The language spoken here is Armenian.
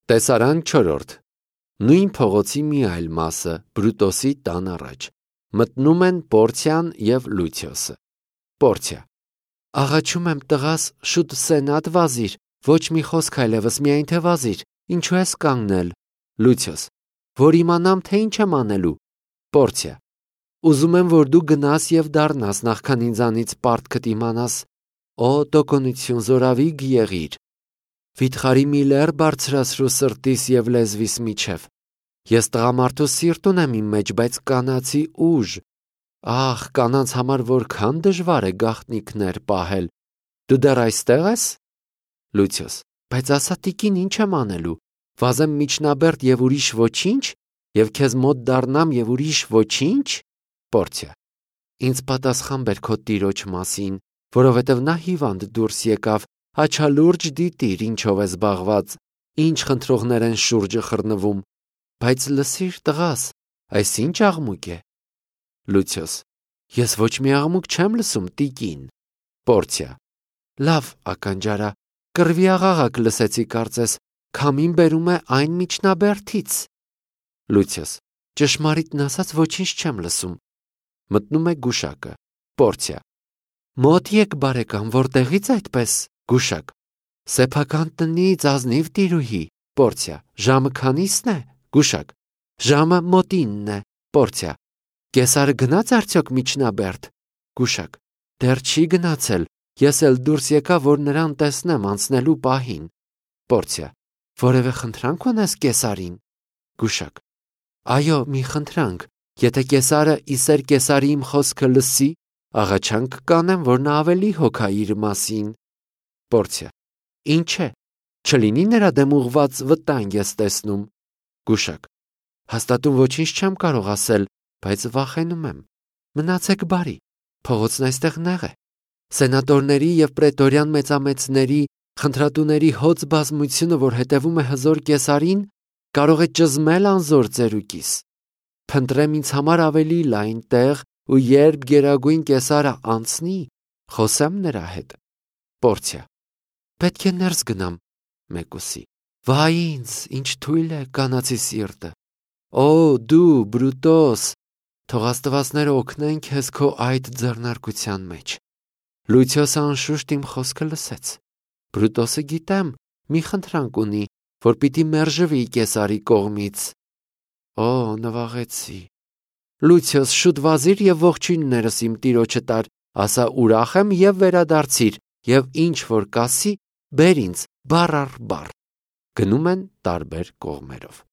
Տեսարան 4. Նույն փողոցի մի այլ մասը, Բրուտոսի տան առաջ, մտնում են Պորցիան և Լուցիոսը։ Պորցիա. Աղաչում եմ տղաս, շուտ սենատ վազիր, ոչ մի խոսք այլևս, միայն թե վազիր, ինչու ես կանգնել։ Լուցիոս. որ իմանամ, թե ինչ եմ անելու։ Պորցիա. ուզում եմ, որ դու գնաս և դառնաս, նախքան ինձանից պարտքդ իմանաս։ Օ տոկունություն, զորավիգ եղիր։ Վիթխարի մի լեռ բարձրացրու սրտիս և լեզվիս միջև։ Ես տղամարդու սիրտ ունեմ իմ մեջ, բայց կանացի ուժ։ Ահ, կանանց համար որքան դժվար է գաղտնիքներ պահել։ Դու դեռ այստեղ ես։ Լուցիոս. բայց ասա տիկին, ինչ եմ անելու։ Վազեմ միջնաբերդ և ուրիշ ոչինչ, և քեզ մոտ դառնամ և ուրիշ ոչինչ։ Պորցիա. ինձ պատասխան բեր քո տիրոջ մասին, որովհետև նա հիվանդ դուրս եկավ, աչալուրջ դիտիր, ինչով է զբաղված, ինչ խնդրողներ են շուրջը խռնվում, բայց լսիր տղաս, այս ինչ աղմուկ է։ Լուցիոս. ես ոչ մի աղմուկ չեմ լսում, տիկին։ Պորցիա. լավ, ականջարա, կռվի աղաղակ լսեցի կարծես, քամին բերում է այն միջնաբերդից։ Լուցիոս. ճշմարիտն ասած ոչինչ չեմ լսում։ Մտնում է գուշակը։ Պորցիա. մոտ եկ բարեկամ, որտեղից այդպես։ Գուշակ. սեփական տնից, ազնիվ տիրուհի։ Պորցիա. ժամը քանիսն է։ Գուշակ. ժամը մոտինն է։ Պորցիա. կեսարը գնաց արդյոք միջնաբերդ։ Գուշակ. դեռ չի գնացել, ես էլ դուրս եկա, որ նրան տեսնեմ անցնելու պահին։ Պորցիա. որևէ խնդրանք ունես կեսարին։ Գուշակ. այո, մի խնդրանք, եթե կեսարը իսեր կեսարի իմ խոսքը լսի, աղաչանք կանեմ, որ նա ավելի հոգա իր մասին։ Պորցիա. ինչ է, չլինի նրա դեմ ուղված վտանգ ես տեսնում։ Գուշակ. հաստատում ոչինչ չեմ կարող ասել, բայց վախենում եմ։ Մնացեք բարի, փողոցն այստեղ նեղ է։ Սենատորների և պրետորյան մեծամեծների, խնդրատուների հոծ բազմությունը, որ հետևում է հզոր կեսարին, կարող է ճզմել անզոր ծերուկիս։ Փնտրեմ ինձ համար ավելի լայն տեղ, ու երբ գերագույն կեսարը անցնի, խոսեմ նրա հետ։ Պորցիա. պետք է ներս գնամ։ Մեկուսի. վայ ինձ, ինչ թույլ է կանացի սիրտը։ Օ, դու, Բրուտոս, թող աստվածները օգնեն քեզ քո այդ ձեռնարկության մեջ։ Լուցիոսը անշուշտ իմ խոսքը լսեց։ Բրուտոսը գիտեմ, մի խնդրանք ունի, որ պիտի մերժվի կեսարի կողմից։ Օ, նվաղեցի։ Լուցիոս, շուտ վազիր և ողջույններս իմ տիրոջը տար, ասա ուրախ եմ և վերադարձիր, և ինչ որ կասի, բեր ինձ բառ առ բառ։ Գնում են տարբեր կողմերով։